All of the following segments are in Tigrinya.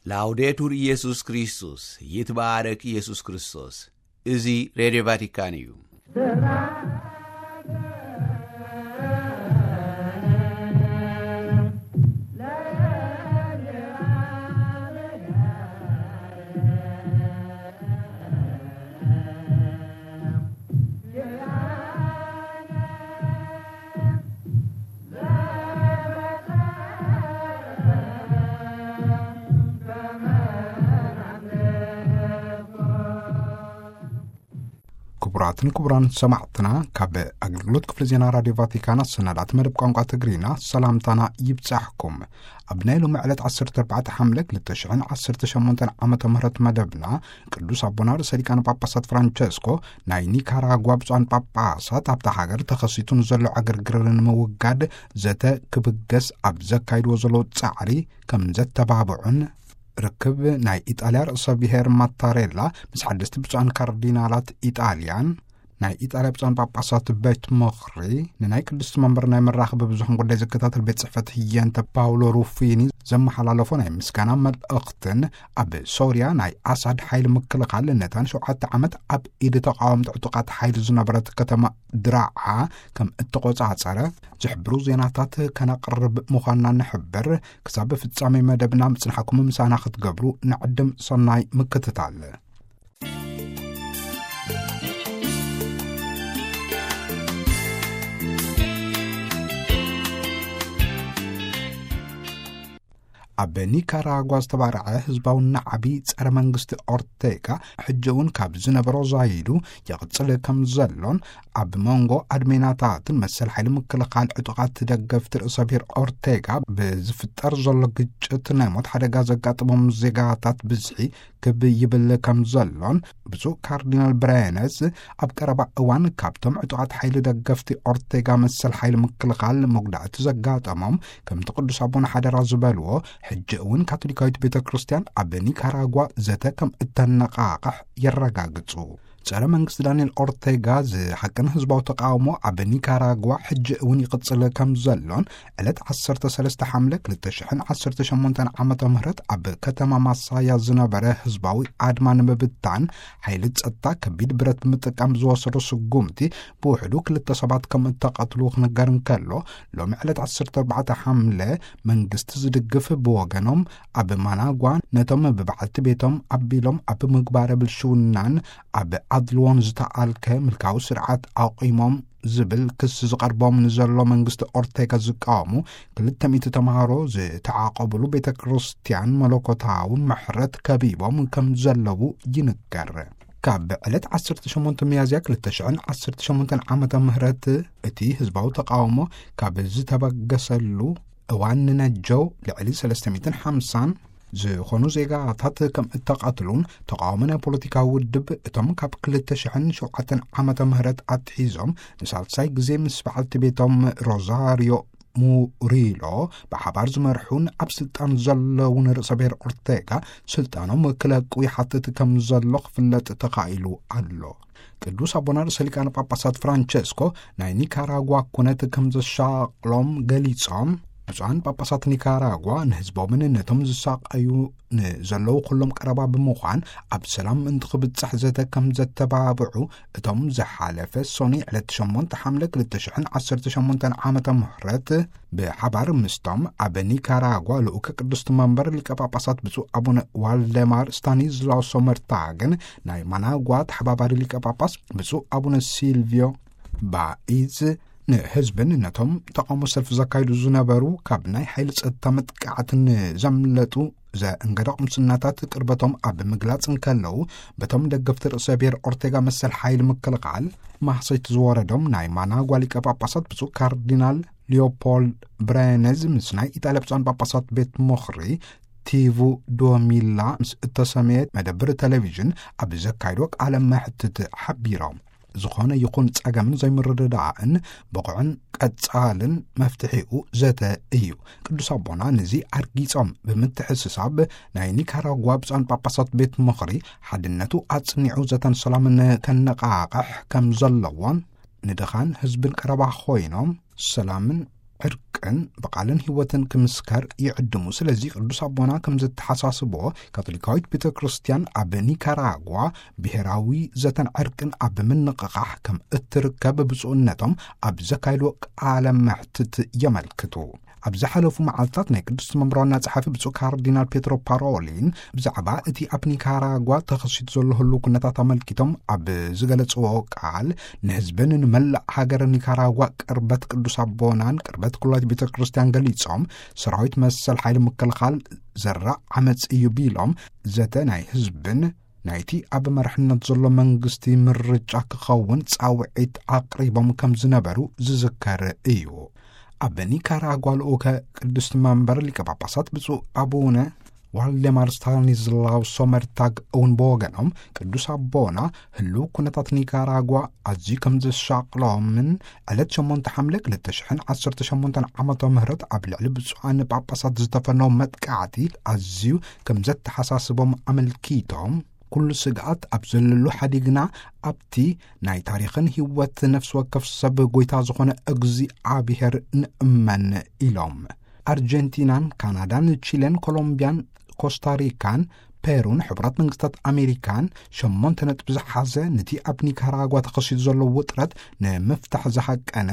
ላውዴቱር ኢየሱስ ክርስቶስ፣ ይትባረክ ኢየሱስ ክርስቶስ። እዚ ሬድዮ ቫቲካን እዩ። ክቡራትን ክቡራን ሰማዕትና፣ ካብ ኣገልግሎት ክፍሊ ዜና ራድዮ ቫቲካን ኣሰናዳእቲ መደብ ቋንቋ ትግርኛ ሰላምታና ይብጻሕኩም። ኣብ ናይ ሎሚ ዕለት ዓሰርተ ኣርባዕተ ሓምለ ክልተ ሽሕን ዓሰርተ ሸሞንተን ዓመተ ምህረት መደብና፣ ቅዱስ ኣቦና ርእሰ ሊቃነ ጳጳሳት ፍራንቸስኮ ናይ ኒካራጓ ብፁዓን ጳጳሳት ኣብታ ሃገር ተኸሲቱ ንዘሎ ዕግርግር ንምውጋድ ዘተ ክብገስ ኣብ ዘካይድዎ ዘለዉ ጻዕሪ ከም ዘተባብዑን፣ ርክብ ናይ ኢጣልያ ርእሰ ብሔር ማታሬላ ምስ ሓደስቲ ብፁዓን ካርዲናላት ኢጣልያን ናይ ኢጣልያ ብፁዓን ጳጳሳት ቤት ምኽሪ ንናይ ቅድስቲ መንበር ናይ መራኽቢ ብዙሕን ጉዳይ ዝከታተል ቤት ጽሕፈት ህየንተ ፓውሎ ሩፊኒ ዘመሓላለፎ ናይ ምስጋና መልእኽትን፣ ኣብ ሶርያ ናይ ኣሳድ ሓይሊ ምክልኻል ነታ ንሸውዓተ ዓመት ኣብ ኢድ ተቓወምቲ ዕጡቓት ሓይሊ ዝነበረት ከተማ ድራዓ ከም እተቖጻጸረ ዝሕብሩ ዜናታት ከነቕርብ ምዃንና ንሕብር። ክሳብ ፍጻሜ መደብና ምጽንሓኩም ምሳና ክትገብሩ ንዕድም። ሰናይ ምክትታል። ኣብ ኒካራጓ ዝተባርዐ ህዝባዊ ናዕቢ ጸረ መንግስቲ ኦርቴጋ፣ ሕጂ እውን ካብ ዝነበሮ ዛይዱ ይቕጽል ከም ዘሎን፣ ኣብ መንጎ ኣድሜናታትን መሰል ሓይሊ ምክልኻል ዕጡቓት ደገፍቲ ርእሰ ብሔር ኦርቴጋ ብዝፍጠር ዘሎ ግጭት ናይ ሞት ሓደጋ ዘጋጥሞም ዜጋታት ብዝሒ ክብ ይብል ከም ዘሎን፣ ብፁዕ ካርዲናል ብራየነስ ኣብ ቀረባ እዋን ካብቶም ዕጡቓት ሓይሊ ደገፍቲ ኦርቴጋ መሰል ሓይሊ ምክልኻል መጉዳእቲ ዘጋጠሞም፣ ከምቲ ቅዱስ ኣቦና ሓደራ ዝበልዎ፣ ሕጂ እውን ካቶሊካዊት ቤተ ክርስቲያን ኣብ ኒካራጓ ዘተ ከም እተነቓቕሕ የረጋግጹ። ጸረ መንግስቲ ዳንኤል ኦርቴጋ ዝሃቅን ህዝባዊ ተቃውሞ ኣብ ኒካራጓ ሕጂ እውን ይቕጽል ከም ዘሎን፣ ዕለት ዓሰርተ ሰለስተ ሓምለ ክልተ ሽሕን ዓሰርተ ሸሞንተን ዓመተ ምህረት ኣብ ከተማ ማሳያ ዝነበረ ህዝባዊ ኣድማ ንምብታን፣ ሓይሊ ጸጥታ ከቢድ ብረት ብምጥቃም ዝወሰዶ ስጉምቲ ብውሕዱ ክልተ ሰባት ከም እተቐትሉ ክንገር እንከሎ፣ ሎሚ ዕለት ዓሰርተ ኣርባዕተ ሓምለ መንግስቲ ዝድግፍ ብወገኖም፣ ኣብ ማናጓ ነቶም ብበዓልቲ ቤቶም ኣቢሎም ኣብ ምግባረ ብልሽውናን ኣብ ኣድልዎን ዝተኣልከ ምልካዊ ስርዓት ኣቑሞም ዝብል ክሲ ዝቐርቦም ንዘሎ መንግስቲ ኦርቴጋ ዝቃወሙ ክልተ ሚእቲ ተምሃሮ ዝተዓቐብሉ ቤተ ክርስቲያን መለኮታዊ ምሕረት ከቢቦም ከም ዘለዉ ይንገር። ካብ ዕለት ዓሰርተ ሸሞንተ ሚያዝያ ክልተ ሽሕን ዓሰርተ ሸሞንተን ዓመተ ምህረት እቲ ህዝባዊ ተቃውሞ ካብ ዝተበገሰሉ እዋን ንነጀው ልዕሊ ሰለስተ ሚእትን ሓምሳን ዝኾኑ ዜጋታት ከም እተቐትሉን፣ ተቃውሞ ናይ ፖለቲካዊ ውድብ እቶም ካብ ክልተ ሽሕን ሸውዓተን ዓመተ ምህረት ኣትሒዞም ንሳልሳይ ግዜ ምስ በዓልቲ ቤቶም ሮዛሪዮ ሙሪሎ ብሓባር ዝመርሑን ኣብ ስልጣን ዘለውን ርእሰ ብሔር ኦርቴጋ ስልጣኖም ክለቁ ይሓትት ከም ዘሎ ክፍለጥ ተኻኢሉ ኣሎ። ቅዱስ ኣቦና ርእሰ ሊቃነ ጳጳሳት ፍራንቸስኮ ናይ ኒካራጓ ኩነት ከም ዘሻቕሎም ገሊጾም፣ ብፁዓን ጳጳሳት ኒካራጓ ንህዝቦምን ነቶም ዝሳቐዩ ንዘለዉ ኩሎም ቀረባ ብምዃን ኣብ ሰላም ምእንቲ ክብጻሕ ዘተ ከም ዘተባብዑ እቶም ዝሓለፈ ሶኒ ዕለት ሸሞንተ ሓምለ ክልተ ሽሕን ዓሰርተ ሸሞንተን ዓመተ ምህረት ብሓባር ምስቶም ኣብ ኒካራጓ ልኡከ ቅድስቲ መንበር ሊቀ ጳጳሳት ብፁዕ ኣቡነ ዋልደማር ስታኒዝላው ሶመርታግን ናይ ማናጓ ተሓባባሪ ሊቀ ጳጳስ ብፁዕ ኣቡነ ሲልቪዮ ባኢዝ ንህዝብን ነቶም ተቃውሞ ሰልፊ ዘካይዱ ዝነበሩ ካብ ናይ ሓይሊ ጸጥታ መጥቃዕቲ ንዘምለጡ ዘእንገደ ቁምስናታት ቅርበቶም ኣብ ምግላጽ እንከለዉ፣ በቶም ደገፍቲ ርእሰ ብሔር ኦርቴጋ መሰል ሓይሊ ምክልኻል ማህሰይቲ ዝወረዶም ናይ ማናጓ ሊቀ ጳጳሳት ብፁዕ ካርዲናል ሊዮፖልድ ብሬነዝ ምስ ናይ ኢጣልያ ብፁዓን ጳጳሳት ቤት ምኽሪ ቲቩ ዶሚላ ምስ እተሰመየ መደብር ቴሌቪዥን ኣብ ዘካይዶ ቃለ መሕትት ሓቢሮም። ዝኾነ ይኹን ጸገምን ዘይምርድዳእን ብቑዕን ቀጻልን መፍትሒኡ ዘተ እዩ። ቅዱስ ኣቦና ነዚ ኣርጊጾም ብምትሕስሳብ፣ ናይ ኒካራጓ ብፁዓን ጳጳሳት ቤት ምኽሪ ሓድነቱ ኣጽኒዑ ዘተን ሰላምን ከነቓቕሕ ከም ዘለዎን፣ ንድኻን ህዝብን ቀረባ ኮይኖም ሰላምን ዕርቅን ብቓልን ህይወትን ክምስከር ይዕድሙ። ስለዚ ቅዱስ ኣቦና ከም ዘተሓሳስቦ፣ ካቶሊካዊት ቤተ ክርስቲያን ኣብ ኒካራጓ ብሔራዊ ዘተን ዕርቅን ኣብ ምንቕቓሕ ከም እትርከብ ብፁዕነቶም ኣብ ዘካየድዎ ቃለ መሕትት የመልክቱ። ኣብ ዝሓለፉ መዓልታት ናይ ቅዱስ መንበር ዋና ጸሓፊ ብፁዕ ካርዲናል ፔትሮ ፓሮሊን ብዛዕባ እቲ ኣብ ኒካራጓ ተኸሲቱ ዘሎ ህልው ኩነታት ኣመልኪቶም ኣብ ዝገለጽዎ ቃል፣ ንህዝብን ንመላእ ሃገር ኒካራጓ ቅርበት ቅዱስ ኣቦናን ቅርበት ኩላይት ቤተ ክርስቲያን ገሊጾም፣ ሰራዊት መሰል ሓይሊ ምክልኻል ዘራእ ዓመጽ እዩ ቢሎም፣ ዘተ ናይ ህዝብን ናይቲ ኣብ መርሕነት ዘሎ መንግስቲ ምርጫ ክኸውን ጻውዒት ኣቕሪቦም ከም ዝነበሩ ዝዝከር እዩ። ኣብ ኒካራጓ ልኡከ ቅድስቲ መንበር ሊቀ ጳጳሳት ብፁዕ ኣቡነ ዋልደማር ስታኒስላው ሶመርታግ እውን ብወገኖም፣ ቅዱስ ኣቦና ህልው ኩነታት ኒካራጓ ኣዝዩ ከም ዘሻቕሎምን ዕለት ሸሞንተ ሓምለ ክልተ ሽሕን ዓሰርተ ሸሞንተን ዓመተ ምህረት ኣብ ልዕሊ ብፁዓን ጳጳሳት ዝተፈነው መጥቃዕቲ ኣዝዩ ከም ዘተሓሳስቦም ኣመልኪቶም፣ ኩሉ ስግኣት ኣብ ዘለሉ ሓዲግና ኣብቲ ናይ ታሪኽን ህይወት ነፍሲ ወከፍ ሰብ ጎይታ ዝኾነ እግዚኣብሔር ንእመን ኢሎም። ኣርጀንቲናን ካናዳን ቺሌን ኮሎምቢያን ኮስታሪካን ፔሩን ሕቡራት መንግስታት ኣሜሪካን ሸሞንተ ነጥቢ ዝሓዘ፣ ነቲ ኣብ ኒካራጓ ተኸሲቱ ዘሎ ውጥረት ንምፍታሕ ዝሃቀነ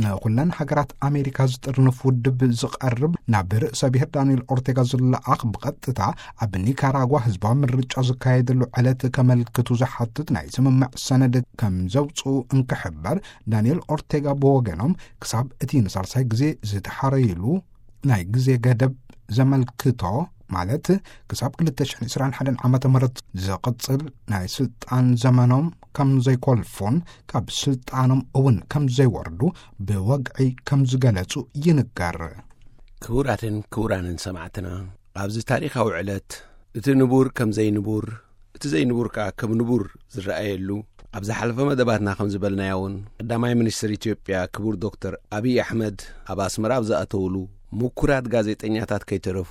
ንኹለን ሃገራት ኣሜሪካ ዝጥርንፍ ውድብ ዝቐርብ ናብ ርእሰ ብሔር ዳንኤል ኦርቴጋ ዝለኣኽ ብቐጥታ ኣብ ኒካራጓ ህዝባዊ ምርጫ ዝካየደሉ ዕለት ከመልክቱ ዝሓትት ናይ ስምምዕ ሰነድ ከም ዘውፅኡ እንክሕበር፣ ዳንኤል ኦርቴጋ ብወገኖም ክሳብ እቲ ንሳልሳይ ግዜ ዝተሓረዩሉ ናይ ግዜ ገደብ ዘመልክቶ፣ ማለት ክሳብ ክልተ ሽሕን ዕስራን ሓደን ዓመተ ምህረት ዝቕጽል ናይ ስልጣን ዘመኖም ከም ዘይኮልፉን ካብ ስልጣኖም እውን ከም ዘይወርዱ ብወግዒ ከም ዝገለጹ ይንገር። ክቡራትን ክቡራንን ሰማዕትና፣ ኣብዚ ታሪኻዊ ዕለት እቲ ንቡር ከም ዘይንቡር፣ እቲ ዘይንቡር ከኣ ከም ንቡር ዝረኣየሉ፣ ኣብ ዝሓለፈ መደባትና ከም ዝበልናዮ እውን፣ ቀዳማይ ሚኒስትር ኢትዮጵያ ክቡር ዶክተር ኣብይ ኣሕመድ ኣብ ኣስመራ ኣብ ዝኣተውሉ፣ ምኩራት ጋዜጠኛታት ከይተረፉ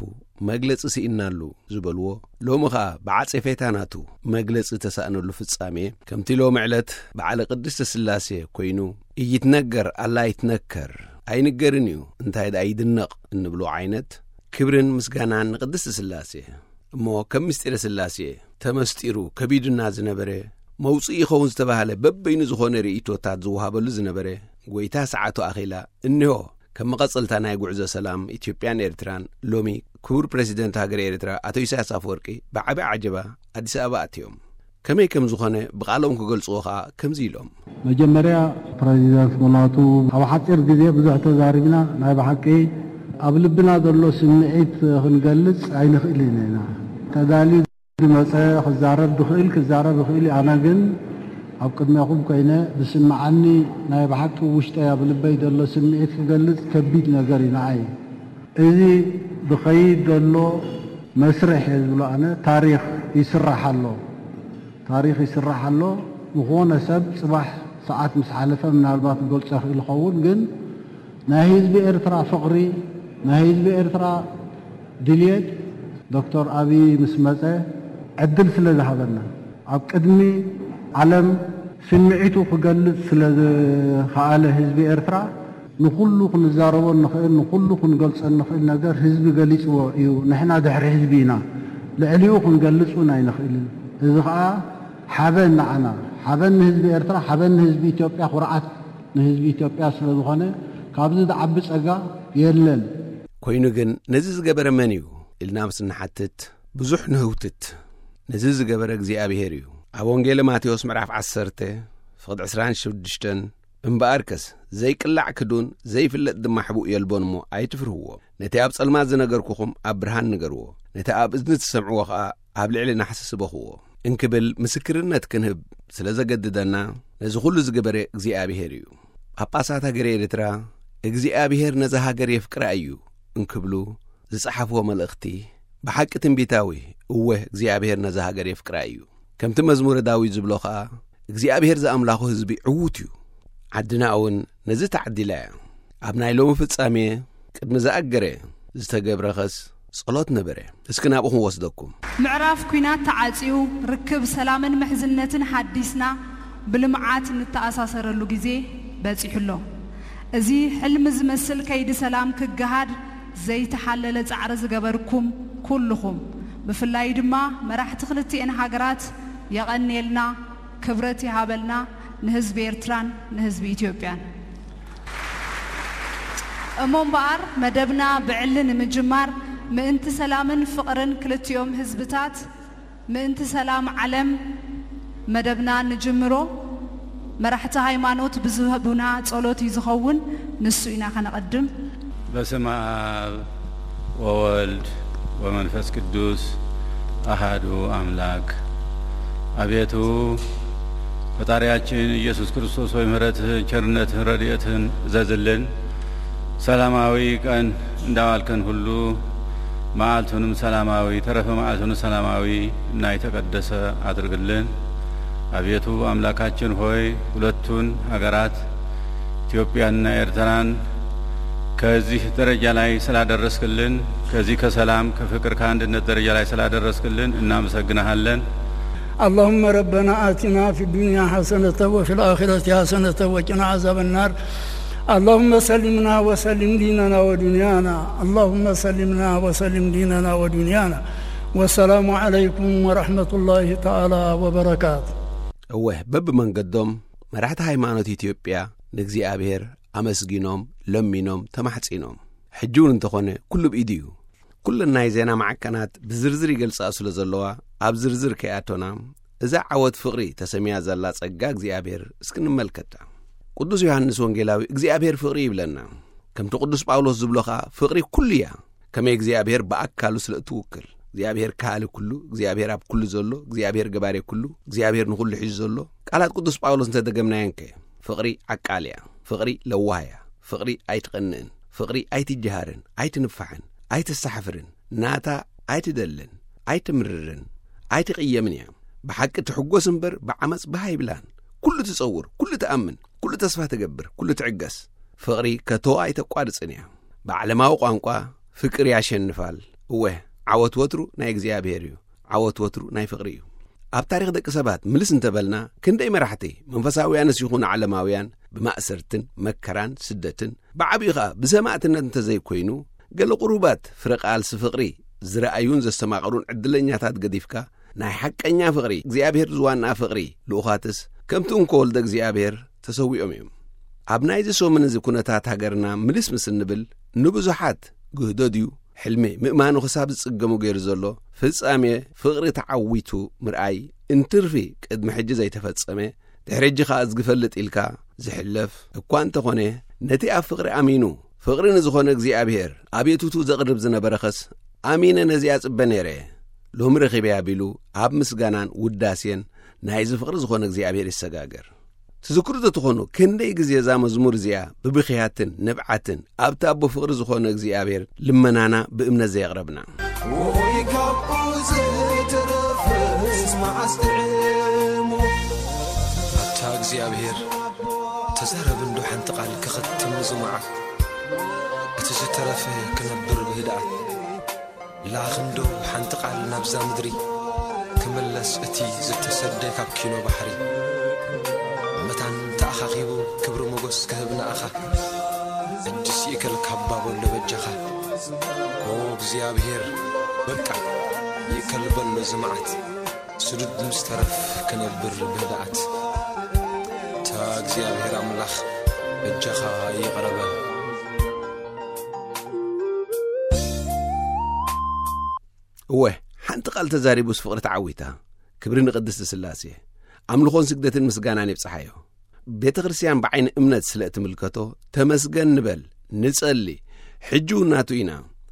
መግለጺ ስኢንናሉ ዝበልዎ፣ ሎሚ ኸኣ ብዓጼፌታ ናቱ መግለጺ ተሳእነሉ ፍጻሜ፣ ከምቲ ሎሚ ዕለት በዓለ ቅድስተ ስላሴ ኮይኑ፣ እይትነገር ኣላ ኣይትነከር፣ ኣይንገርን እዩ እንታይ ደኣ ይድነቕ እንብሎ ዓይነት፣ ክብርን ምስጋናን ንቅድስቲ ስላሴ። እሞ ከም ምስጢረ ስላሴ ተመስጢሩ ከቢዱና ዝነበረ፣ መውጽኢ ይኸውን ዝተባህለ በበይኑ ዝኾነ ርእይቶታት ዝወሃበሉ ዝነበረ፣ ጎይታ ሰዓቱ ኣኺላ፣ እንሆ፣ ከም መቐጸልታ ናይ ጉዕዞ ሰላም ኢትዮጵያን ኤርትራን፣ ሎሚ ክቡር ፕረሲደንት ሃገረ ኤርትራ ኣቶ ኢሳያስ ኣፈወርቂ ብዓቢ ዓጀባ ኣዲስ ኣበባ ኣትዮም። ከመይ ከም ዝኾነ ብቓሎም ክገልጽዎ ኸኣ ከምዚ ኢሎም። መጀመርያ ፕረዚደንት ሙላቱ፣ ኣብ ሓጺር ግዜ ብዙሕ ተዛሪብና፣ ናይ ብሓቂ ኣብ ልብና ዘሎ ስምዒት ክንገልጽ ኣይንኽእልን ኢና። ተዳልዩ ዝመጸ ክዛረብ ዝኽእል ክዛረብ ይኽእል እዩ። ኣነ ግን ኣብ ቅድሜኹም ኮይነ ዝስምዓኒ ናይ ብሓቂ ውሽጠይ ኣብ ልበይ ዘሎ ስምዒት ክገልጽ ከቢድ ነገር እዩ ንዓይ። እዚ ዝኸይድ ዘሎ መስርሕ እየ ዝብሎ ኣነ፣ ታሪኽ ይስራሕ ኣሎ። ታሪኽ ይስራሕ ኣሎ። ዝኾነ ሰብ ጽባሕ ሰዓት ምስ ሓለፈ ምናልባት ክገልጾ ይኽእል ይኸውን፣ ግን ናይ ህዝቢ ኤርትራ ፍቕሪ፣ ናይ ህዝቢ ኤርትራ ድልየት ዶክተር ኣብይ ምስ መጸ ዕድል ስለ ዝሃበና፣ ኣብ ቅድሚ ዓለም ስምዒቱ ክገልጽ ስለ ዝኸኣለ ህዝቢ ኤርትራ፣ ንኹሉ ክንዛረቦ እንኽእል፣ ንኹሉ ክንገልጾ እንኽእል ነገር ህዝቢ ገሊጽዎ እዩ። ንሕና ድሕሪ ህዝቢ ኢና፣ ልዕሊኡ ክንገልጽ እውን ኣይንኽእልን። እዚ ኸኣ ሓበን ንዓና፣ ሓበን ንህዝቢ ኤርትራ፣ ሓበን ንህዝቢ ኢትዮጵያ፣ ኩርዓት ንህዝቢ ኢትዮጵያ ስለ ዝኾነ፣ ካብዚ ዝዓቢ ጸጋ የለን። ኮይኑ ግን ነዚ ዝገበረ መን እዩ ኢልና ምስ እንሓትት፣ ብዙሕ ንህውትት። ነዚ ዝገበረ እግዚኣብሄር እዩ። ኣብ ወንጌለ ማቴዎስ ምዕራፍ ዓሰርተ ፍቕዲ ዕስራን ሽዱሽተን፣ እምበኣርከስ ዘይቅላዕ ክዱን ዘይፍለጥ ድማ ሕቡእ የልቦን እሞ ኣይትፍርህዎ። ነቲ ኣብ ጸልማት ዝነገርኩኹም ኣብ ብርሃን ንገርዎ። ነቲ ኣብ እዝኒ ትሰምዕዎ ኸኣ ኣብ ልዕሊ ናሕሲ ስበኽዎ እንክብል ምስክርነት ክንህብ ስለ ዘገድደና፣ ነዚ ኹሉ ዝገበረ እግዚኣብሄር እዩ። ጳጳሳት ሃገረ ኤርትራ፣ እግዚኣብሄር ነዛ ሃገር የፍቅራ እዩ እንክብሉ ዝጸሓፍዎ መልእኽቲ ብሓቂ ትንቢታዊ፣ እወ እግዚኣብሄር ነዛ ሃገር የፍቅራ እዩ። ከምቲ መዝሙረ ዳዊት ዝብሎ ኸኣ፣ እግዚኣብሄር ዝኣምላኹ ህዝቢ ዕዉት እዩ። ዓድና እውን ነዚ ተዓዲላ እያ። ኣብ ናይ ሎሚ ፍጻሜ ቅድሚ ዝኣገረ ዝተገብረ ኸስ ጸሎት ነበረ። እስኪ ናብኡ ክንወስደኩም። ምዕራፍ ኲናት ተዓጽዩ፣ ርክብ ሰላምን ምሕዝነትን ሓዲስና ብልምዓት ንተኣሳሰረሉ ግዜ በጺሑ ኣሎ። እዚ ሕልሚ ዝመስል ከይዲ ሰላም ክገሃድ ዘይተሓለለ ጻዕሪ ዝገበርኩም ኩልኹም፣ ብፍላይ ድማ መራሕቲ ክልቲኤን ሃገራት የቐንየልና፣ ክብረት ይሃበልና፣ ንህዝቢ ኤርትራን ንህዝቢ ኢትዮጵያን። እሞ እምበኣር መደብና ብዕሊ ንምጅማር፣ ምእንቲ ሰላምን ፍቕርን ክልቲኦም ህዝብታት፣ ምእንቲ ሰላም ዓለም መደብና ንጅምሮ። መራሕቲ ሃይማኖት ብዝህቡና ጸሎት እዩ ዝኸውን፣ ንሱ ኢና ከነቐድም። በስመ አብ ወወልድ ወመንፈስ ቅዱስ አሃዱ አምላክ። አቤቱ ፈጣሪያችን ኢየሱስ ክርስቶስ ሆይ፣ ምሕረትህን ቸርነትህን ረድኤትህን እዘዝልን። ሰላማዊ ቀን እንዳዋልከን ሁሉ መዓልቱንም ሰላማዊ፣ ተረፈ መዓልቱንም ሰላማዊ እና የተቀደሰ አድርግልን። አቤቱ አምላካችን ሆይ፣ ሁለቱን ሀገራት ኢትዮጵያንና ኤርትራን ከዚህ ደረጃ ላይ ስላደረስክልን፣ ከዚህ ከሰላም ከፍቅር ከአንድነት ደረጃ ላይ ስላደረስክልን እናመሰግንሃለን። اللهم ربنا آتنا في الدنيا حسنة وفي الآخرة حسنة وقنا عذاب النار. اللهم سلمنا وسلم ديننا ودنيانا. اللهم سلمنا وسلم ديننا ودنيانا. والسلام عليكم ورحمة الله تعالى وبركاته. እወ፣ በብመንገዶም መራሕቲ ሃይማኖት ኢትዮጵያ ንእግዚኣብሔር ኣመስጊኖም፣ ለሚኖም፣ ተማሕጺኖም። ሕጂ እውን እንተኾነ ኩሉ ብኢዱ እዩ። ኩለን ናይ ዜና ማዕከናት ብዝርዝር ይገልጻ ስለ ዘለዋ፣ ኣብ ዝርዝር ከይኣቶና፣ እዛ ዓወት ፍቕሪ ተሰምያ ዘላ ጸጋ እግዚኣብሔር እስኪ ንመልከታ። ቅዱስ ዮሃንስ ወንጌላዊ እግዚኣብሔር ፍቕሪ ይብለና። ከምቲ ቅዱስ ጳውሎስ ዝብሎ ኸኣ፣ ፍቕሪ ኩሉ እያ። ከመይ እግዚኣብሔር ብኣካሉ ስለ እትውክል፣ እግዚኣብሔር ከሃሊ ኩሉ፣ እግዚኣብሔር ኣብ ኩሉ ዘሎ፣ እግዚኣብሔር ገባሬ ኩሉ፣ እግዚኣብሔር ንኹሉ ሒዙ ዘሎ፣ ቃላት ቅዱስ ጳውሎስ እንተደገምናየን ከ፣ ፍቕሪ ዓቃል እያ፣ ፍቕሪ ለዋህ እያ፣ ፍቕሪ ኣይትቐንእን፣ ፍቕሪ ኣይትጀሃርን፣ ኣይትንፋሕን፣ ኣይተሳሕፍርን፣ ናታ ኣይትደልን፣ ኣይትምርርን፣ ኣይትቕየምን እያ። ብሓቂ ትሕጎስ እምበር ብዓመጽ ባህ ኣይብላን። ኩሉ ትጸውር፣ ኩሉ ትኣምን፣ ኩሉ ተስፋ ትገብር፣ ኩሉ ትዕገስ። ፍቕሪ ከቶ ኣይተቋርጽን እያ። ብዓለማዊ ቋንቋ ፍቅር ያሸንፋል። እወ፣ ዓወት ወትሩ ናይ እግዚኣብሔር እዩ። ዓወት ወትሩ ናይ ፍቕሪ እዩ። ኣብ ታሪኽ ደቂ ሰባት ምልስ እንተበልና፣ ክንደይ መራሕቲ መንፈሳውያንስ ይኹኑ ዓለማውያን ብማእሰርትን መከራን ስደትን ብዓቢኡ ኸኣ ብሰማእትነት እንተዘይኮይኑ፣ ገለ ቁሩባት ፍረ ቃልሲ ፍቕሪ ዝረኣዩን ዘስተማቕሩን ዕድለኛታት ገዲፍካ፣ ናይ ሓቀኛ ፍቕሪ፣ እግዚኣብሔር ዝዋንኣ ፍቕሪ ልኡኻትስ ከምቲ እንኮ ወልደ እግዚኣብሔር ተሰዊኦም እዮም። ኣብ ናይዚ ሰሙን እዚ ኩነታት ሃገርና ምልስ ምስ እንብል፣ ንብዙሓት ግህዶ ድዩ፣ ሕልሚ ምእማኑ ክሳብ ዝጽገሙ ገይሩ ዘሎ ፍጻሜ ፍቕሪ ተዓዊቱ ምርኣይ እንትርፊ ቅድሚ ሕጂ ዘይተፈጸመ፣ ድሕሪ ሕጂ ኸኣ ዝግፈልጥ ኢልካ ዝሕለፍ እኳ እንተኾነ፣ ነቲ ኣብ ፍቕሪ ኣሚኑ ፍቕሪ ንዝኾነ እግዚኣብሔር ኣቤቱቱ ዘቕርብ ዝነበረ ኸስ፣ ኣሚነ ነዚኣ ጽበ ነይረ፣ ሎሚ ረኺበያ ቢሉ ኣብ ምስጋናን ውዳሴን ናይዚ ፍቕሪ ዝኾነ እግዚኣብሔር ይሰጋገር። ትዝክሩ ተትኾኑ፣ ክንደይ ግዜ እዛ መዝሙር እዚኣ ብብኽያትን ንብዓትን ኣብቲ ኣቦ ፍቕሪ ዝኾነ እግዚኣብሔር ልመናና ብእምነት ዘየቕረብና። ወይ ካብኡ ዝትረፍስ መዓስ ጥዕሙ። ኣታ እግዚኣብሔር፣ ተዛረብ እንዶ ሓንቲ ቃል ክኸትም እዚ መዓት። እቲ ዝተረፈ ክነብር ብህድኣት። ላኽ እንዶ ሓንቲ ቃል ናብዛ ምድሪ፣ ክምለስ እቲ ዝተሰደ ካብ ኪኖ ባሕሪ። መታን ተኣኻኺቡ ክብሪ ሞገስ ክህብ ንኣኻ፣ እጅስ ይእከል ካብ ባበሎ በጃኻ። ኦ እግዚኣብሔር፣ በቃ ይእከል በሎ እዚ መዓት። ስዱድ ምስ ተረፍ ክነብር ብህድኣት። እታ እግዚኣብሔር ኣምላኽ በጃኻ ይቕረ በል። እወ፣ ሓንቲ ቃል ተዛሪቡስ ፍቕሪ ተዓዊታ። ክብሪ ንቅድስቲ ስላሴ። ኣምልኾን ስግደትን ምስጋናን ይብጽሓዮ። ቤተ ክርስቲያን ብዓይኒ እምነት ስለ እትምልከቶ፣ ተመስገን ንበል፣ ንጸሊ። ሕጂ እውን ናቱ ኢና።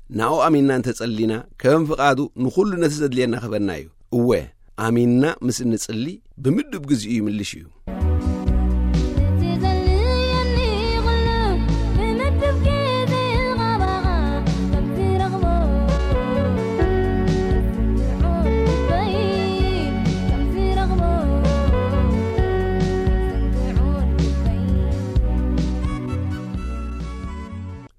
ናኡ ኣሚንና እንተጸሊና፣ ከም ፍቓዱ ንኹሉ ነቲ ዘድልየና ክህበና እዩ። እወ፣ ኣሚንና ምስ እንጽሊ፣ ብምዱብ ግዚኡ ይምልሽ እዩ። እቲ ዘድልየኒ ኩሉ ብምዱብ ግዜ ኻባኻ ከም ዝረኽቦ፣ ስምዑ ልበይ ከም ዝረኽቦ፣ ስምዑ ልበይ።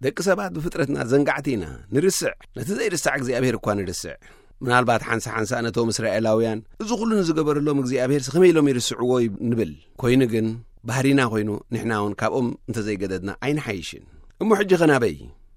ደቂ ሰባት ብፍጥረትና ዘንጋዕቲ ኢና፣ ንርስዕ። ነቲ ዘይርሳዕ እግዚኣብሔር እኳ ንርስዕ። ምናልባት ሓንሳ ሓንሳ ነቶም እስራኤላውያን፣ "እዚ ኹሉ ንዝገበረሎም እግዚኣብሔርሲ ከመይ ኢሎም ይርስዕዎ?" ይብ-፣ ንብል። ኮይኑ ግን፣ ባህሪና ኮይኑ፣ ንሕና እውን ካብኦም እንተዘይገደድና ኣይንሓይሽን። እሞ ሕጂ ኸ ናበይ?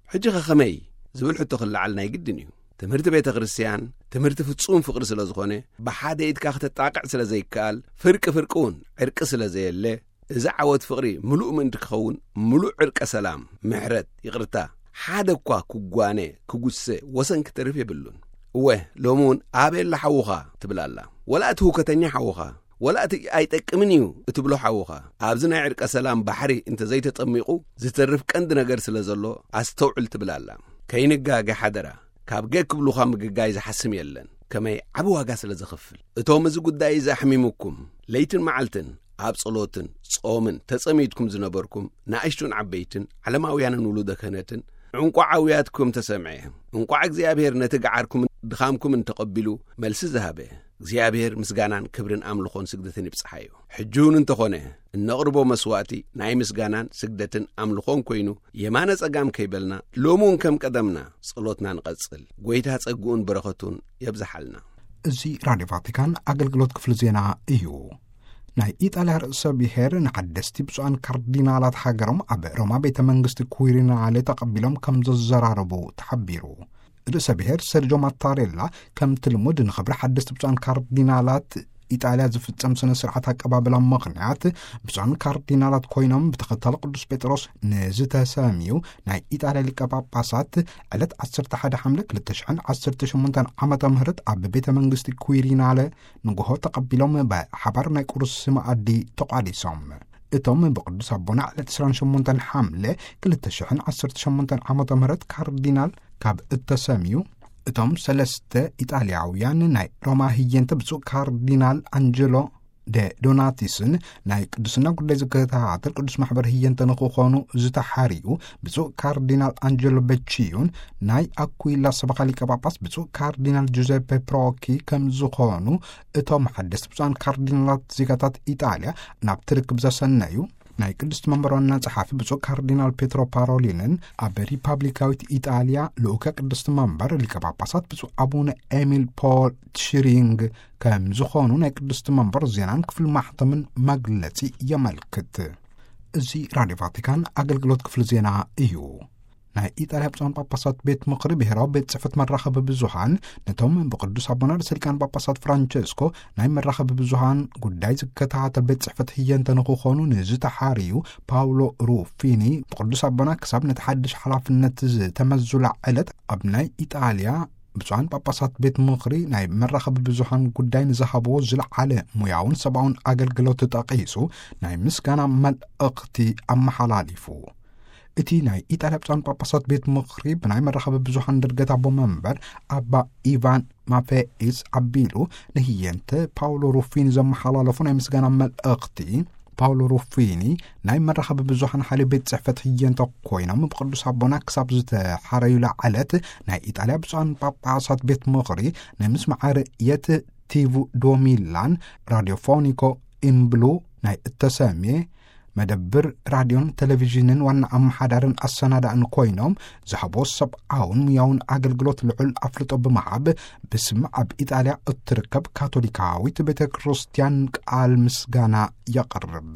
ሕጂ ኸ ኸመይ? ዝብል ሕቶ ክለዓል ናይ ግድን እዩ። ትምህርቲ ቤተ ክርስቲያን፣ ትምህርቲ ፍጹም ፍቕሪ ስለ ዝኾነ፣ ብሓደ ኢድካ ክተጣቕዕ ስለ ዘይከኣል፣ ፍርቂ ፍርቂ እውን ዕርቂ ስለ ዘየለ፣ እዚ ዓወት ፍቕሪ ምሉእ ምእንቲ ክኸውን፣ ምሉእ ዕርቀ ሰላም፣ ምሕረት፣ ይቕርታ፣ ሓደ እኳ ክጓነ፣ ክጉሰ፣ ወሰን ክተርፍ የብሉን። እወ፣ ሎሚ እውን ኣበይ ኣሎ ሓውኻ ትብል ኣላ። ወላ እቲ ህውከተኛ ሓውኻ፣ ወላ እቲ ኣይጠቅምን እዩ እትብሎ ሓውኻ፣ ኣብዚ ናይ ዕርቀ ሰላም ባሕሪ እንተ ዘይተጠሚቑ፣ ዝተርፍ ቀንዲ ነገር ስለ ዘሎ፣ ኣስተውዕል ትብል ኣላ። ከይንጋገ ሓደራ፣ ካብ ገ ክብሉኻ ምግጋይ ዝሓስም የለን። ከመይ ዓቢ ዋጋ ስለ ዘኽፍል። እቶም እዚ ጉዳይ እዚ ኣሕሚሙኩም፣ ለይትን መዓልትን ኣብ ጸሎትን ጾምን ተጸሚድኩም ዝነበርኩም፣ ንኣሽቱን ዓበይትን፣ ዓለማውያንን ውሉደ ክህነትን፣ ዕንቋዓውያትኩም ተሰምዐ። እንቋዕ እግዚኣብሔር ነቲ ገዓርኩምን ድኻምኩምን ተቐቢሉ መልሲ ዝሃበ። እግዚኣብሔር ምስጋናን ክብርን ኣምልኾን ስግደትን ይብጽሓዮ። ሕጂ እውን እንተኾነ፣ እነቕርቦ መስዋእቲ ናይ ምስጋናን ስግደትን ኣምልኾን ኮይኑ፣ የማነ ጸጋም ከይበልና፣ ሎሚ እውን ከም ቀደምና ጸሎትና ንቐጽል። ጐይታ ጸግኡን በረኸቱን የብዝሓልና። እዚ ራድዮ ቫቲካን ኣገልግሎት ክፍሊ ዜና እዩ። ናይ ኢጣልያ ርእሰ ብሔር ንሓደስቲ ብፁዓን ካርዲናላት ሃገሮም ኣብ ሮማ ቤተ መንግስቲ ኩዊሪናሌ ተቐቢሎም ከም ዘዘራረቡ ተሓቢሩ። ርእሰ ብሔር ሰርጆ ማታሬላ ከምቲ ልሙድ ንኽብሪ ሓደስቲ ብፁዓን ካርዲናላት ኢጣልያ ዝፍጸም ስነ ስርዓት ኣቀባብላ ምኽንያት፣ ብፁዓን ካርዲናላት ኮይኖም ብተኸታሊ ቅዱስ ጴጥሮስ ንዝተሰምዩ ናይ ኢጣልያ ሊቀ ጳጳሳት ዕለት ዓሰርተ ሓደ ሓምለ ክልተ ሽሕን ዓሰርተ ሸሞንተን ዓመተ ምህረት ኣብ ቤተ መንግስቲ ኩዊሪናለ ንግሆ ተቐቢሎም ብሓባር ናይ ቁርሲ መኣዲ ተቋዲሶም። እቶም ብቅዱስ ኣቦና ዕለት ዕስራን ሸሞንተን ሓምለ ክልተ ሽሕን ዓሰርተ ሸሞንተን ዓመተ ምህረት ካርዲናል ካብ እተሰምዩ፣ እቶም ሰለስተ ኢጣልያውያን ናይ ሮማ ህየንተ ብፁዕ ካርዲናል ኣንጀሎ ደ ዶናቲስን ናይ ቅዱስና ጉዳይ ዝከታተል ቅዱስ ማሕበር ህየንተ ንክኾኑ ዝተሓርዩ ብፁዕ ካርዲናል ኣንጀሎ በቺዩን ናይ ኣኩይላ ሰበኻ ሊቀ ጳጳስ ብፁዕ ካርዲናል ጁዘፔ ፕሮኪ ከም ዝኾኑ እቶም ሓደስቲ ብፁዓን ካርዲናላት ዜጋታት ኢጣልያ ናብቲ ርክብ ዘሰነዩ ናይ ቅድስቲ መንበር ዋና ጸሓፊ ብፁዕ ካርዲናል ፔትሮ ፓሮሊንን ኣብ ሪፓብሊካዊት ኢጣልያ ልኡከ ቅድስቲ መንበር ሊቀ ጳጳሳት ብፁዕ ኣቡነ ኤሚል ፖል ትሽሪንግ ከም ዝኾኑ ናይ ቅድስቲ መንበር ዜናን ክፍሊ ማሕተምን መግለጺ የመልክት። እዚ ራድዮ ቫቲካን ኣገልግሎት ክፍሊ ዜና እዩ። ናይ ኢጣልያ ብፁዓን ጳጳሳት ቤት ምኽሪ ብሔራዊ ቤት ጽሕፈት መራኸቢ ብዙሃን ነቶም ብቅዱስ ኣቦና ርእሰ ሊቃነ ጳጳሳት ፍራንቸስኮ ናይ መራኸቢ ብዙሃን ጉዳይ ዝከታተል ቤት ጽሕፈት ህየንተ ንክኾኑ ንዝተሓርዩ ፓውሎ ሩፊኒ፣ ብቅዱስ ኣቦና ክሳብ ነቲ ሓድሽ ሓላፍነት ዝተመዙላ ዕለት ኣብ ናይ ኢጣልያ ብፁዓን ጳጳሳት ቤት ምኽሪ ናይ መራኸቢ ብዙሃን ጉዳይ ንዝሃብዎ ዝለዓለ ሙያውን ሰብኣውን ኣገልግሎት ጠቒሱ ናይ ምስጋና መልእኽቲ ኣመሓላሊፉ። እቲ ናይ ኢጣልያ ብፁዓን ጳጳሳት ቤት ምኽሪ ብናይ መራኸቢ ብዙሃን ድርገት ኣቦ መንበር ኣባ ኢቫን ማፌኢስ ኣቢሉ ንህየንተ ፓውሎ ሩፊኒ ዘመሓላለፉ ናይ ምስጋና መልእኽቲ፣ ፓውሎ ሩፊኒ ናይ መራኸቢ ብዙሃን ሓይሊ ቤት ጽሕፈት ህየንተ ኮይኖም ብቅዱስ ኣቦና ክሳብ ዝተሓረዩላ ዕለት ናይ ኢጣልያ ብፁዓን ጳጳሳት ቤት ምኽሪ ናይ ምስማዕ ርእየት ቲቪ ዶሚላን ራዲዮፎኒኮ ኢምብሉ ናይ እተሰምየ መደብር ራድዮን ቴሌቪዥንን ዋና ኣመሓዳርን ኣሰናዳእን ኮይኖም ዝሃቦ ሰብኣውን ሙያውን ኣገልግሎት ልዑል ኣፍልጦ ብምሃብ ብስም ኣብ ኢጣልያ እትርከብ ካቶሊካዊት ቤተ ክርስቲያን ቃል ምስጋና የቕርብ።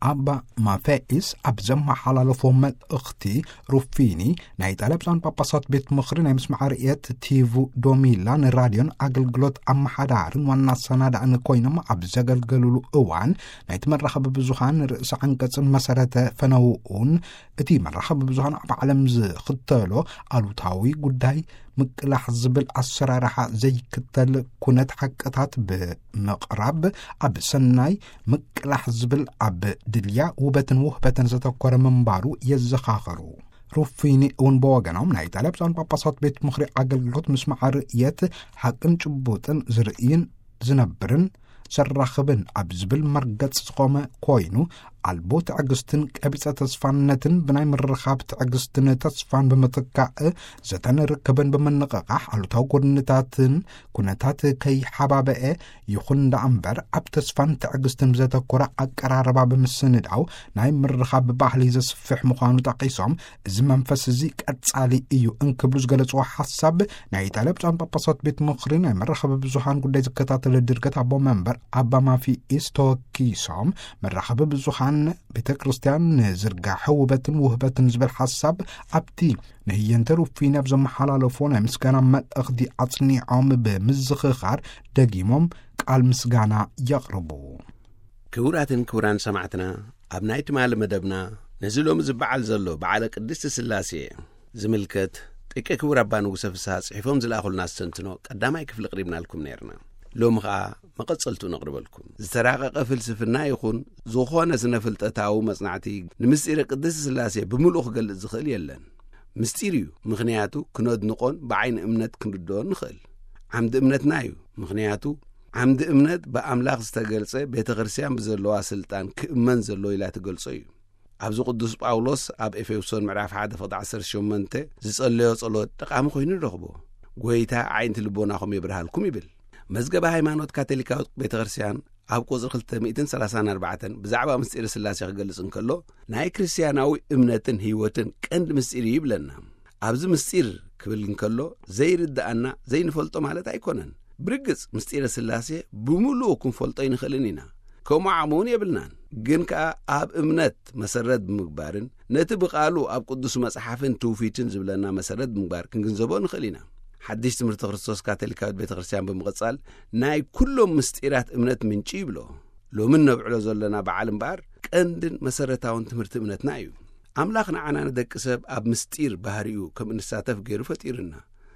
ኣባ ማፌኢስ ኣብ ዘመሓላለፎ መልእኽቲ ሩፊኒ ናይ ኢጣልያ ብፁዓን ጳጳሳት ቤት ምኽሪ ናይ ምስማዕ ርእየት ቲቪ ዶሚላ ንራድዮን ኣገልግሎት ኣመሓዳርን ዋና ኣሰናዳእን ኮይኖም ኣብ ዘገልገሉሉ እዋን ናይቲ መራኸቢ ብዙሃን ርእሰ ዓንቀጽን መሰረተ ፈነውኡን እቲ መራኸቢ ብዙሃን ኣብ ዓለም ዝኽተሎ ኣሉታዊ ጉዳይ ምቅላሕ ዝብል ኣሰራርሓ ዘይክተል ኩነት ሓቅታት ብምቕራብ ኣብ ሰናይ ምቅላሕ ዝብል ኣብ ድልያ ውበትን ውህበትን ዘተኮረ ምንባሩ የዘኻኸሩ። ሩፊኒ እውን ብወገኖም ናይ ኢጣልያ ብፁዓን ጳጳሳት ቤት ምኽሪ ኣገልግሎት ምስማዕ ርእየት ሓቅን ጭቡጥን ዝርእይን ዝነብርን ዘራኽብን ኣብ ዝብል መርገጽ ዝቖመ ኮይኑ ኣልቦ ትዕግስትን ቀቢጸ ተስፋነትን ብናይ ምርኻብ ትዕግስትን ተስፋን ብምትካእ ዘተን ርክብን ብምንቕቓሕ ኣሉታዊ ጎድንታትን ኩነታት ከይሓባበአ ይኹን ደኣ እምበር ኣብ ተስፋን ትዕግስትን ብዘተኮረ ኣቀራርባ ብምስንዳው ናይ ምርኻብ ባህሊ ዘስፍሕ ምዃኑ ጠቒሶም እዚ መንፈስ እዚ ቀጻሊ እዩ እንክብሉ ዝገለጽዎ ሓሳብ ናይ ኢጣልያ ብፁዓን ጳጳሳት ቤት ምኽሪ ናይ መራኸቢ ብዙሃን ጉዳይ ዝከታተለ ድርገት ኣቦ መንበር ኣባ ማፊኢስ ተወኪሶም መራኸቢ ብዙሃን ቤተ ክርስቲያን ንዝርጋሐ ውበትን ውህበትን ዝብል ሓሳብ ኣብቲ ንህየንተ ሩፊን ኣብ ዘመሓላለፎ ናይ ምስጋና መልእኽቲ ኣጽኒዖም ብምዝኽኻር ደጊሞም ቃል ምስጋና የቕርቡ። ክቡራትን ክቡራን ሰማዕትና፣ ኣብ ናይ ትማሊ መደብና ነዚ ሎሚ ዝበዓል ዘሎ በዓለ ቅድስቲ ስላሴ ዝምልከት ጥቀ ክቡር ኣባ ንጉሰ ፍስሃ ጽሒፎም ዝለኣኹልና ኣስተንትኖ ቀዳማይ ክፍሊ ቅሪብናልኩም ነይርና። ሎሚ ኸኣ መቐጸልቱ ነቕርበልኩም። ዝተራቐቐ ፍልስፍና ይኹን ዝኾነ ስነ ፍልጠታዊ መጽናዕቲ ንምስጢረ ቅድስቲ ስላሴ ብምሉኡ ክገልጽ ዝኽእል የለን። ምስጢር እዩ፣ ምኽንያቱ ክነድንቖን ብዓይኒ እምነት ክንርድኦን ንኽእል። ዓምዲ እምነትና እዩ፣ ምኽንያቱ ዓምዲ እምነት ብኣምላኽ ዝተገልጸ ቤተ ክርስቲያን ብዘለዋ ስልጣን ክእመን ዘለዎ ኢላ ትገልጾ እዩ። ኣብዚ ቅዱስ ጳውሎስ ኣብ ኤፌሶን ምዕራፍ ሓደ ፍቕዲ ዓሰርተ ሸሞንተ ዝጸለዮ ጸሎት ጠቓሚ ኮይኑ ንረኽቦ። ጎይታ ኣዒንቲ ልቦናኹም የብርሃልኩም ይብል። መዝገበ ሃይማኖት ካቶሊካዊት ቤተ ክርስቲያን ኣብ ቁጽሪ ክልተ ሚእትን ሰላሳን ኣርባዕተን ብዛዕባ ምስጢር ስላሴ ክገልጽ እንከሎ፣ ናይ ክርስቲያናዊ እምነትን ህይወትን ቀንዲ ምስጢር እዩ ይብለና። ኣብዚ ምስጢር ክብል እንከሎ ዘይርድኣና ዘይንፈልጦ ማለት ኣይኮነን። ብርግጽ ምስጢረ ስላሴ ብምሉኡ ክንፈልጦ ይንኽእልን ኢና። ከምኡ ዓቕሚ እውን የብልናን። ግን ከኣ ኣብ እምነት መሰረት ብምግባርን ነቲ ብቓሉ ኣብ ቅዱስ መጽሓፍን ትውፊትን ዝብለና መሰረት ብምግባር ክንግንዘቦ ንኽእል ኢና። ሓድሽ ትምህርቲ ክርስቶስ ካቶሊካዊት ቤተ ክርስቲያን ብምቕጻል ናይ ኩሎም ምስጢራት እምነት ምንጪ ይብሎ። ሎሚ እነብዕሎ ዘለና በዓል እምበኣር ቀንድን መሰረታውን ትምህርቲ እምነትና እዩ። ኣምላኽ ንዓና ንደቂ ሰብ ኣብ ምስጢር ባህሪኡ ከም እንሳተፍ ገይሩ ፈጢሩና።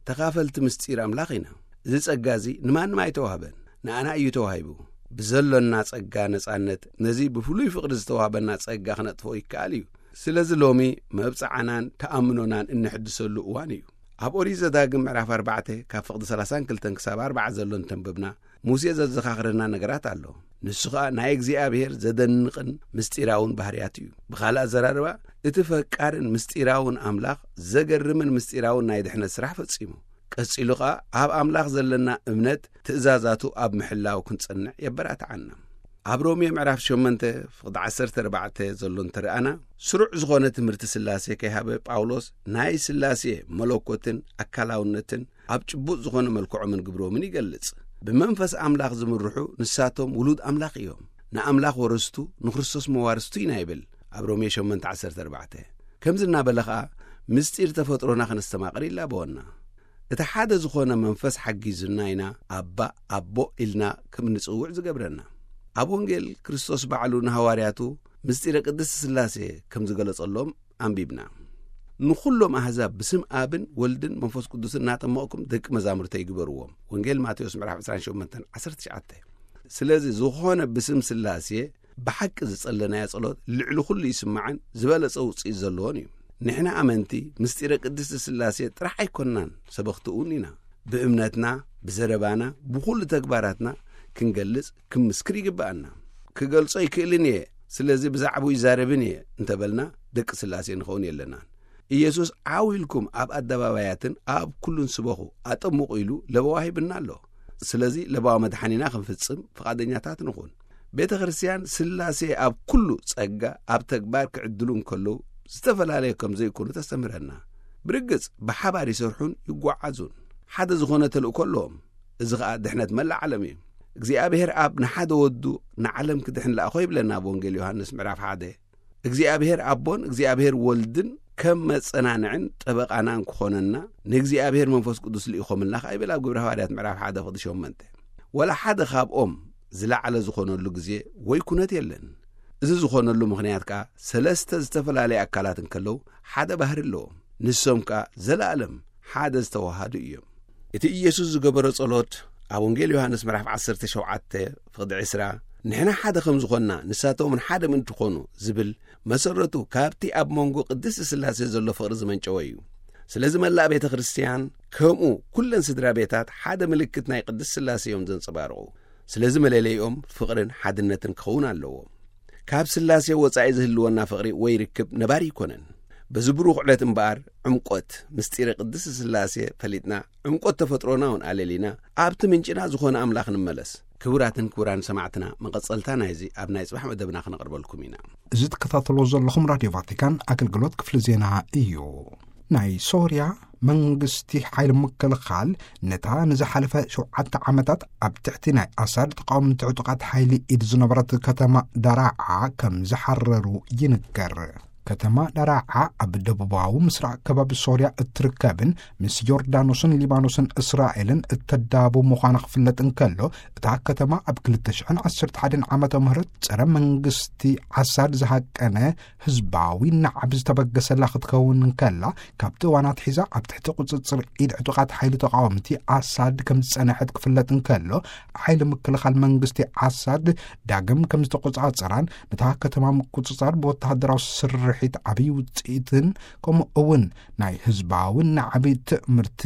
ተኻፈልቲ ምስጢር ኣምላኽ ኢና። እዚ ጸጋ እዚ ንማንም ኣይተዋህበን፣ ንኣና እዩ ተዋሂቡ። ብዘሎና ጸጋ ነጻነት ነዚ ብፍሉይ ፍቕሪ ዝተዋህበና ጸጋ ክነጥፍኦ ይከኣል እዩ። ስለዚ ሎሚ መብጽዓናን ተኣምኖናን እንሕድሰሉ እዋን እዩ። ኣብ ኦሪት ዘዳግም ምዕራፍ ኣርባዕተ ካብ ፍቕዲ ሰላሳን ክልተን ክሳብ ኣርባዓ ዘሎ እንተንበብና፣ ሙሴ ዘዘኻኽረና ነገራት ኣሎ። ንሱ ኸኣ ናይ እግዚኣብሔር ዘደንቕን ምስጢራውን ባህርያት እዩ። ብኻልእ ኣዘራርባ፣ እቲ ፈቃርን ምስጢራውን ኣምላኽ ዘገርምን ምስጢራውን ናይ ድሕነት ስራሕ ፈጺሙ። ቀጺሉ ኸኣ ኣብ ኣምላኽ ዘለና እምነት ትእዛዛቱ ኣብ ምሕላው ክንጸንዕ የበራትዓና። ኣብ ሮሜ ምዕራፍ ሸሞንተ ፍቕዲ ዓሰርተ ኣርባዕተ ዘሎ እንተረኣና፣ ስሩዕ ዝኾነ ትምህርቲ ስላሴ ከይሃበ ጳውሎስ ናይ ስላሴ መለኮትን ኣካላውነትን ኣብ ጭቡጥ ዝኾነ መልክዖምን ግብሮምን ይገልጽ። ብመንፈስ ኣምላኽ ዝምርሑ ንሳቶም ውሉድ ኣምላኽ እዮም። ንኣምላኽ ወረስቱ፣ ንክርስቶስ መዋርስቱ ኢና ይብል ኣብ ሮሜ ሸሞንተ ዓሰርተ ኣርባዕተ። ከምዚ እናበለ ኸኣ ምስጢር ተፈጥሮና ከነስተማቕር ይላበወና። እቲ ሓደ ዝኾነ መንፈስ ሓጊዙና ኢና ኣባ፣ ኣቦ ኢልና ከም እንጽውዕ ዝገብረና። ኣብ ወንጌል ክርስቶስ ባዕሉ ንሃዋርያቱ ምስጢረ ቅድስቲ ስላሴ ከም ዝገለጸሎም ኣንቢብና። ንኹሎም ኣህዛብ ብስም ኣብን ወልድን መንፈስ ቅዱስን እናጠመቕኩም ደቂ መዛሙርተይ ግበርዎም። ወንጌል ማቴዎስ ምዕራፍ ዕስራን ሸሞንተን ዓሰርተ ትሽዓተ። ስለዚ ዝኾነ ብስም ስላሴ ብሓቂ ዝጸለናዮ ጸሎት ልዕሊ ኩሉ ይስማዕን ዝበለጸ ውጽኢት ዘለዎን እዩ። ንሕና ኣመንቲ ምስጢረ ቅድስቲ ስላሴ ጥራሕ ኣይኮንናን፣ ሰበኽቲ እውን ኢና። ብእምነትና፣ ብዘረባና፣ ብኹሉ ተግባራትና ክንገልጽ፣ ክንምስክር ይግብኣና። ክገልጾ ይክእልን እየ፣ ስለዚ ብዛዕባኡ ይዛረብን እየ እንተበልና ደቂ ስላሴ ንኸውን የለናን። ኢየሱስ ዓው ኢልኩም ኣብ ኣደባባያትን ኣብ ኩሉን ስበኹ፣ ኣጠምቑ ኢሉ ለበዋ ሂብና ኣሎ። ስለዚ ለበዋ መድሓኒና ክንፍጽም ፍቓደኛታት ንኹን። ቤተ ክርስቲያን ስላሴ ኣብ ኩሉ ጸጋ ኣብ ተግባር ክዕድሉ እንከለዉ ዝተፈላለየ ከም ዘይኮኑ ተስተምህረና። ብርግጽ ብሓባር ይሰርሑን ይጓዓዙን። ሓደ ዝኾነ ተልእኮ ኣለዎም። እዚ ኸኣ ድሕነት መላእ ዓለም እዩ። እግዚኣብሔር ኣብ ንሓደ ወዱ ንዓለም ክድሕን ለኣኾ ይብለና ኣብ ወንጌል ዮሃንስ ምዕራፍ ሓደ። እግዚኣብሔር ኣቦን እግዚኣብሔር ወልድን ከም መጸናንዕን ጠበቓናን ክኾነና ንእግዚኣብሔር መንፈስ ቅዱስ ልኢኾምልና ኸኣ ይብል ኣብ ግብረ ሃዋርያት ምዕራፍ ሓደ ፍቕዲ ሸሞንተ። ወላ ሓደ ካብኦም ዝለዓለ ዝኾነሉ ግዜ ወይ ኩነት የለን። እዚ ዝኾነሉ ምኽንያት ከኣ ሰለስተ ዝተፈላለየ ኣካላት እንከለዉ ሓደ ባህሪ ኣለዎም። ንሶም ከኣ ዘለኣለም ሓደ ዝተዋሃዱ እዮም። እቲ ኢየሱስ ዝገበሮ ጸሎት ኣብ ወንጌል ዮሃንስ ምዕራፍ ዓሰርተ ሸውዓተ ፍቕዲ ዕስራ፣ "ንሕና ሓደ ከም ዝኾንና ንሳቶም እውን ሓደ ምእንቲ ኮኑ" ዝብል መሰረቱ ካብቲ ኣብ መንጎ ቅድስቲ ስላሴ ዘሎ ፍቕሪ ዝመንጨወ እዩ። ስለዚ መላእ ቤተ ክርስቲያን ከምኡ ኩለን ስድራ ቤታት ሓደ ምልክት ናይ ቅድስቲ ስላሴ እዮም ዘንጸባርቑ። ስለዚ መለለይኦም ፍቕርን ሓድነትን ክኸውን ኣለዎ። ካብ ስላሴ ወጻኢ ዝህልወና ፍቕሪ ወይ ርክብ ነባሪ ኣይኮነን። በዚ ብሩኽ ዕለት እምበኣር ዕምቆት ምስጢረ ቅድስቲ ስላሴ ፈሊጥና፣ ዕምቆት ተፈጥሮና እውን ኣለሊና፣ ኣብቲ ምንጭና ዝኾነ ኣምላኽ ንመለስ። ክቡራትን ክቡራን ሰማዕትና፣ መቐጸልታ ናይዚ ኣብ ናይ ጽባሕ መደብና ክነቕርበልኩም ኢና። እዚ ትከታተልዎ ዘለኹም ራድዮ ቫቲካን ኣገልግሎት ክፍሊ ዜና እዩ። ናይ ሶርያ መንግስቲ ሓይሊ ምክልኻል ነታ ንዝሓለፈ ሸውዓተ ዓመታት ኣብ ትሕቲ ናይ ኣሳድ ተቃወምቲ ዕጡቓት ሓይሊ ኢድ ዝነበረት ከተማ ዳራዓ ከም ዝሓረሩ ይንገር። ከተማ ዳራዓ ኣብ ደቡባዊ ምስራቅ ከባቢ ሶርያ እትርከብን ምስ ዮርዳኖስን ሊባኖስን እስራኤልን እተዳቡ ምዃና ክፍለጥ እንከሎ፣ እታ ከተማ ኣብ ክልተ ሽሕን ዓሰርተ ሓደን ዓመተ ምህረት ጸረ መንግስቲ ኣሳድ ዝሃቀነ ህዝባዊ ናዕቢ ዝተበገሰላ ክትከውን እንከላ፣ ካብቲ እዋን ኣትሒዛ ኣብ ትሕቲ ቁጽጽር ኢድ ዕጡቓት ሓይሊ ተቃወምቲ ኣሳድ ከም ዝጸንሐት ክፍለጥ እንከሎ፣ ሓይሊ ምክልኻል መንግስቲ ኣሳድ ዳግም ከም ዝተቆጻጸራን፣ ነታ ከተማ ምቁጽጻር ብወተሃደራዊ ስርሒት ዓብዪ ውጽኢትን፣ ከምኡ እውን ናይ ህዝባዊ ናዕቢ ትእምርቲ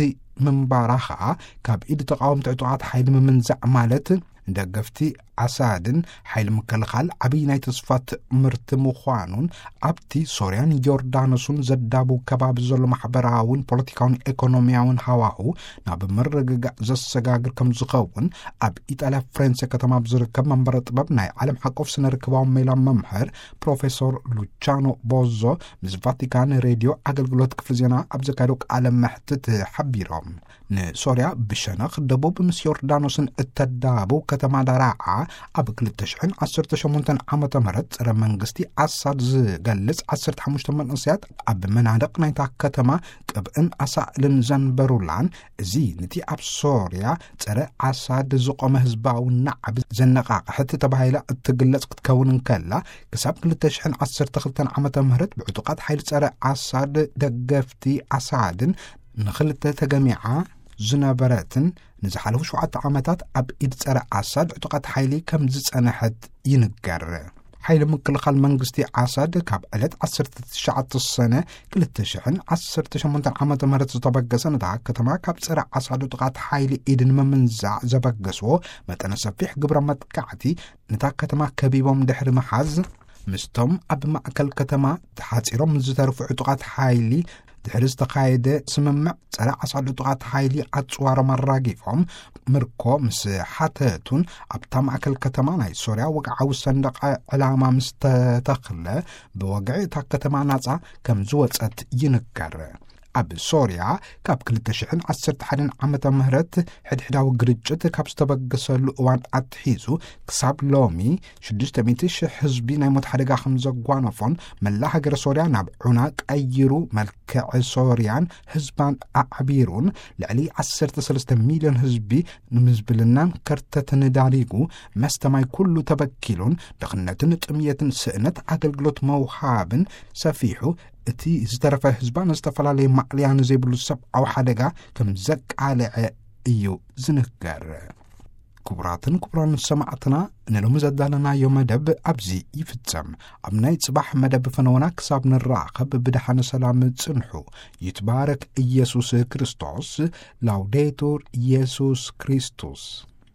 ምንባራ ኸኣ ካብ ኢድ ተቃወምቲ ዕጡቓት ሓይሊ ምምንዛዕ ማለት፣ ንደገፍቲ ኣሳድን ሓይሊ ምክልኻል ዓብዪ ናይ ተስፋ ትእምርቲ ምዃኑን፣ ኣብቲ ሶርያን ዮርዳኖስን ዘዳቡ ከባቢ ዘሎ ማሕበራውን ፖለቲካውን ኤኮኖሚያውን ሃዋሁ ናብ ምርግጋእ ዘሰጋግር ከም ዝኸውን፣ ኣብ ኢጣልያ ፍሬንሴ ከተማ ኣብ ዝርከብ መንበረ ጥበብ ናይ ዓለም ሓቆፍ ስነ ርክባዊ ሜላ መምህር ፕሮፌሰር ሉቻኖ ቦዞ ምስ ቫቲካን ሬድዮ ኣገልግሎት ክፍሊ ዜና ኣብ ዘካየዶ ቃለ መሕትት ሓቢሮም። ንሶርያ ብሸነኽ ደቡብ ምስ ዮርዳኖስን እተዳቡ ከተማ ዳራዓ፣ ኣብ ክልተ ሽሕን ዓሰርተ ሸሞንተን ዓመተ ምህረት ጸረ መንግስቲ ኣሳድ ዝገልጽ ዓሰርተ ሓሙሽተ መንእሰያት ኣብ መናድቕ ናይታ ከተማ ቅብእን ኣሳእልን ዘንበሩላን፣ እዚ ነቲ ኣብ ሶርያ ጸረ ኣሳድ ዝቖመ ህዝባዊ ናዕቢ ዘነቓቕሐት ተባሂላ እትግለጽ ክትከውን እንከላ፣ ክሳብ ክልተ ሽሕን ዓሰርተ ክልተን ዓመተ ምህረት ብዕጡቓት ሓይሊ ጸረ ኣሳድ ደገፍቲ ኣሳድን ንኽልተ ተገሚዓ ዝነበረትን ንዝሓለፉ ሸውዓተ ዓመታት ኣብ ኢድ ጸረ ኣሳድ ዕጡቓት ሓይሊ ከም ዝጸንሐት ይንገር። ሓይሊ ምክልኻል መንግስቲ ኣሳድ ካብ ዕለት ዓሰርተ ትሽዓተ ሰነ ክልተ ሽሕን ዓሰርተ ሸሞንተን ዓመተ ምህረት ዝተበገሰ፣ ነታ ከተማ ካብ ጸረ ኣሳድ ዕጡቓት ሓይሊ ኢድ ንምምንዛዕ ዘበገስዎ መጠነ ሰፊሕ ግብረ መጥቃዕቲ፣ ነታ ከተማ ከቢቦም ድሕሪ ምሓዝ፣ ምስቶም ኣብ ማእከል ከተማ ተሓጺሮም ዝተርፉ ዕጡቓት ሓይሊ ድሕሪ ዝተኻየደ ስምምዕ፣ ጸረ ኣሳድ ዕጡቓት ሓይሊ ኣጽዋሮም ኣራጊፎም፣ ምርኮ ምስ ሓተቱን ኣብታ ማእከል ከተማ ናይ ሶርያ ወግዓዊ ሰንደቕ ዕላማ ምስ ተተኽለ፣ ብወግዒ እታ ከተማ ናጻ ከም ዝወጸት ይንገር። ኣብ ሶርያ ካብ ክልተ ሽሕን ዓሰርተ ሓደን ዓመተ ምህረት ሕድሕዳዊ ግርጭት ካብ ዝተበገሰሉ እዋን ኣትሒዙ ክሳብ ሎሚ ሽዱሽተ ሚእቲ ሽሕ ህዝቢ ናይ ሞት ሓደጋ ከም ዘጓነፎን፣ መላ ሃገረ ሶርያ ናብ ዑና ቀይሩ፣ መልክዕ ሶርያን ህዝባን ኣዕቢሩን፣ ልዕሊ ዓሰርተ ሰለስተ ሚልዮን ህዝቢ ንምዝብልናን ከርተትን ዳሪጉ፣ መስተ ማይ ኩሉ ተበኪሉን፣ ድኽነትን ጥምየትን ስእነት ኣገልግሎት መውሃብን ሰፊሑ፣ እቲ ዝተረፈ ህዝባ ንዝተፈላለየ ማእለያ ንዘይብሉ ሰብኣዊ ሓደጋ ከም ዘቃልዐ እዩ ዝንገር። ክቡራትን ክቡራን ሰማዕትና፣ ንሎሚ ዘዳለናዮ መደብ ኣብዚ ይፍጸም። ኣብ ናይ ጽባሕ መደብ ፈነወና ክሳብ ንራኸብ ብደሓን ሰላም ጽንሑ። ይትባረክ ኢየሱስ ክርስቶስ። ላውዴቱር ኢየሱስ ክርስቶስ።